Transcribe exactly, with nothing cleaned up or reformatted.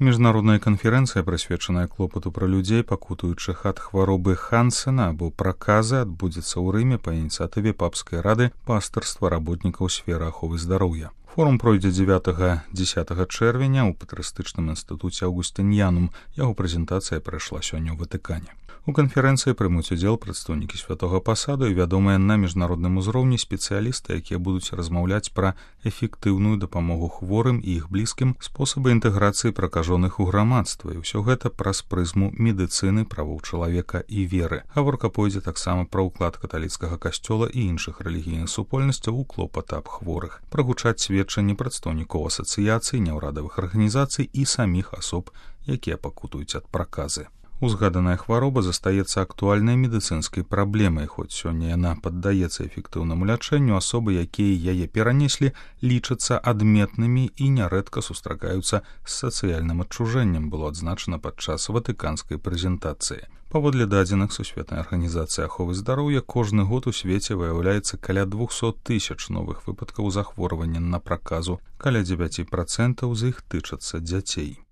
Міжнародная канферэнцыя, прысвечаная клопату пра людзей, пакутуючых ад хваробы Хансена або праказы, адбудзецца ў Рыме па ініцыятыве папскай рады пастырства работнікаў сферы аховы здароўя. Форум пройдзе дзевятага-дзесятага чэрвеня ў патрыятычным інстытуце Аўгустыньянум. Яго прэзентацыя прайшла сёння ў Ватыкане. У канферэнцыі прымуць удзел прадстаўнікі святога пасаду і вядомыя на міжнародным узроўні спецыялісты, якія будуць размаўляць пра эфектыўную дапамогу хворым і іх блізкім, спосабы інтэграцыі пракажоных у грамадства, і ўсё гэта праз прызму медыцыны, правоў чалавека і веры. Гаворка пойдзе таксама пра ўклад каталіцкага касцёла і іншых рэлігійных супольнасцяў у клопат аб хворых. Прагучаць сведчанні прадстаўнікоў асацыяцый, няўрадавых арганізацый і саміх асоб, якія пакутуюць ад праказы. Узгаданая хвароба застаецца актуальнай медыцынскай праблемай, хоць сёння яна паддаецца эфектыўнаму лячэнню, асобы, якія яе перанеслі, лічацца адметнымі і нярэдка сустракаюцца з сацыяльным адчужэннем, было адзначана падчас ватыканскай прэзентацыі. Паводле дадзеных Сусветнай арганізацыі аховы здароўя, кожны год у свеце выяўляецца каля двухсот тысяч новых выпадкаў захворвання на праказу, каля дзевяць працэнтаў з іх тычацца дзяцей.